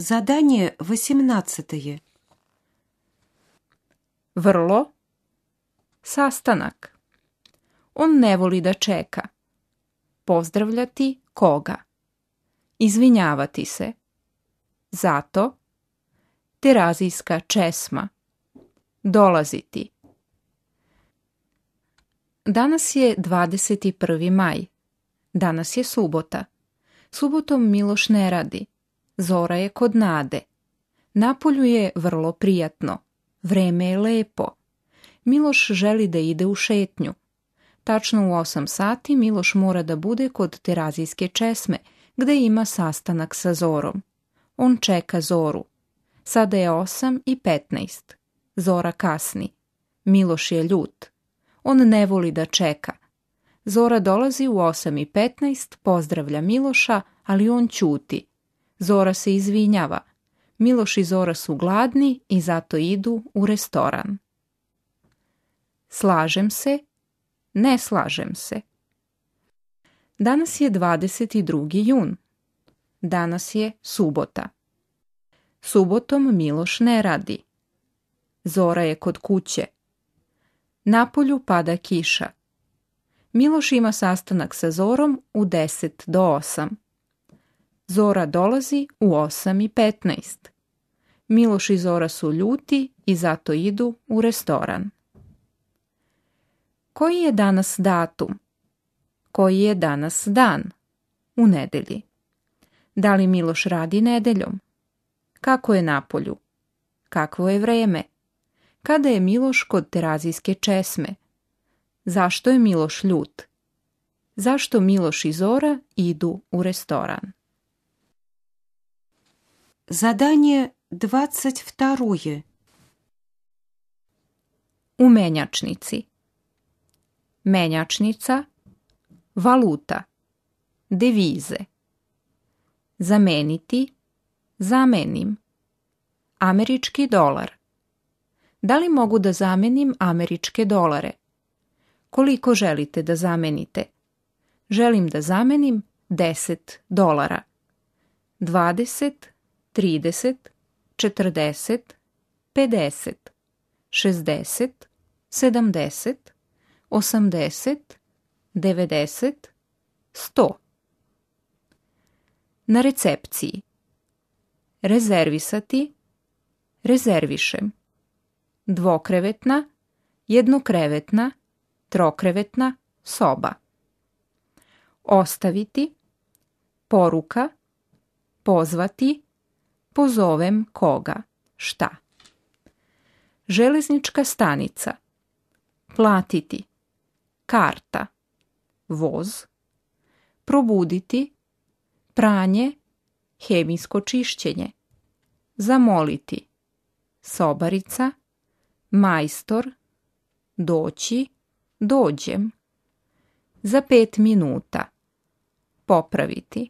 Задание 18. Vrlo. Sastanak. On ne voli da čeka. Pozdravljati koga? Izvinjavati se. Zato. Terazijska česma. Dolaziti. Danas je 21. maj. Danas je subota. Subotom Miloš ne radi. Zora je kod Nade. Napolju je vrlo prijatno. Vreme je lepo. Miloš želi da ide u šetnju. Tačno u 8 sati Miloš mora da bude kod Terazijske česme, gde ima sastanak sa Zorom. On čeka Zoru. Sada je 8:15. Zora kasni. Miloš je ljut. On ne voli da čeka. Zora dolazi u 8:15, pozdravlja Miloša, ali on ćuti. Zora se izvinjava. Miloš i Zora su gladni i zato idu u restoran. Slažem se, ne slažem se. Danas je 22. jun. Danas je subota. Subotom Miloš ne radi. Zora je kod kuće. Napolju pada kiša. Miloš ima sastanak sa Zorom u 7:50. Zora dolazi u 8:15. Miloš i Zora su ljuti i zato idu u restoran. Koji je danas datum? Koji je danas dan? U nedelji. Da li Miloš radi nedeljom? Kako je napolju? Kakvo je vreme? Kada je Miloš kod Terazijske česme? Zašto je Miloš ljut? Zašto Miloš i Zora idu u restoran? Задание 22. U menjačnici. Menjačnica. Valuta. Devize. Zameniti. Zamenim. Američki dolar. Da li mogu da zamenim američke dolare? Koliko želite da zamenite? Želim da zamenim $10. 20, 30, 40, 50, 60, 70, 80, 90, 100. Na recepciji. Rezervisati. Rezervišem. Dvokrevetna, jednokrevetna, trokrevetna soba. Ostaviti. Poruka. Pozvati. Pozovem koga. Šta? Železnička stanica. Platiti. Karta. Voz. Probuditi. Pranje. Hemijsko čišćenje. Zamoliti. Sobarica. Majstor. Doći. Dođem. Za 5 minuta. Popraviti.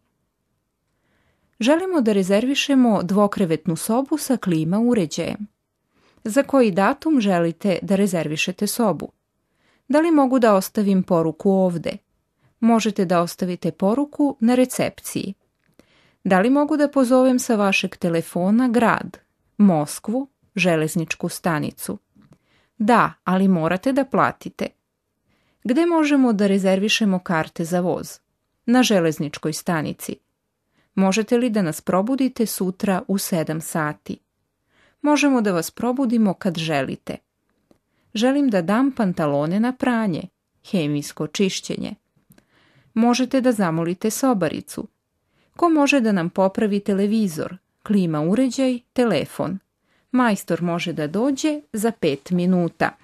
Želimo da rezervišemo dvokrevetnu sobu sa klima uređajem. Za koji datum želite da rezervišete sobu? Da li mogu da ostavim poruku ovde? Možete da ostavite poruku na recepciji. Da li mogu da pozovem sa vašeg telefona grad, Moskvu, železničku stanicu? Da, ali morate da platite. Gde možemo da rezervišemo karte za voz? Na železničkoj stanici. Možete li da nas probudite sutra u 7 sati? Možemo da vas probudimo kad želite. Želim da dam pantalone na pranje, hemijsko čišćenje. Možete da zamolite sobaricu. Ko može da nam popravi televizor, klima uređaj, telefon? Majstor može da dođe za 5 minuta.